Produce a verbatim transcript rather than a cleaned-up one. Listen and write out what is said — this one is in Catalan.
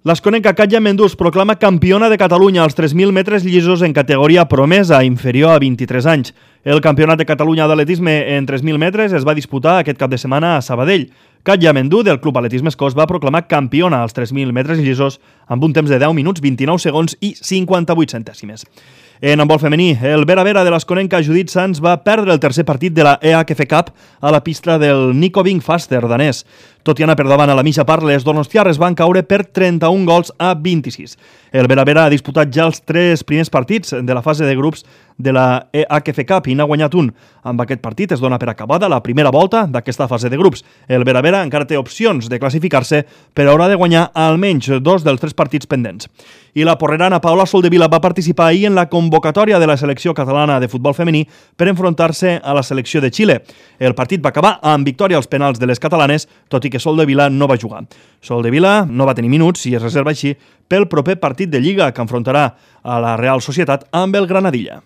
L'asconenca Katja Mendú es proclama campiona de Catalunya als tres mil metres llisos en categoria promesa, inferior a vint-i-tres anys. El Campionat de Catalunya d'atletisme en tres mil metres es va disputar aquest cap de setmana a Sabadell. Katja Mendú, del Club Atletisme Escós, va proclamar campiona als tres mil metres llisos amb un temps de deu minuts, vint-i-nou segons i cinquanta-vuit centèsimes. En handbol femení, el Vera Vera de l'asconenca Judit Sanz va perdre el tercer partit de la E H F Cup a la pista del Nykøbing Falster danès. Tot i anar per davant a la mitja part, les donostiarres van caure per trenta-un gols a vint-i-sis. El Vera Vera ha disputat ja els tres primers partits de la fase de grups de la E H F Cup i n'ha guanyat un. Amb aquest partit es dona per acabada la primera volta d'aquesta fase de grups. El Vera Vera encara té opcions de classificar-se, però haurà de guanyar almenys dos dels tres partits pendents. I la porrerana Paola Soldevila va participar ahir en la convocatòria de la selecció catalana de futbol femení per enfrontar-se a la selecció de Xile. El partit va acabar amb victòria als penals de les catalanes, tot i que Soldevila no va jugar. Soldevila no va tenir minuts i es reserva així pel proper partit de Lliga que enfrontarà a la Real Societat amb el Granadilla.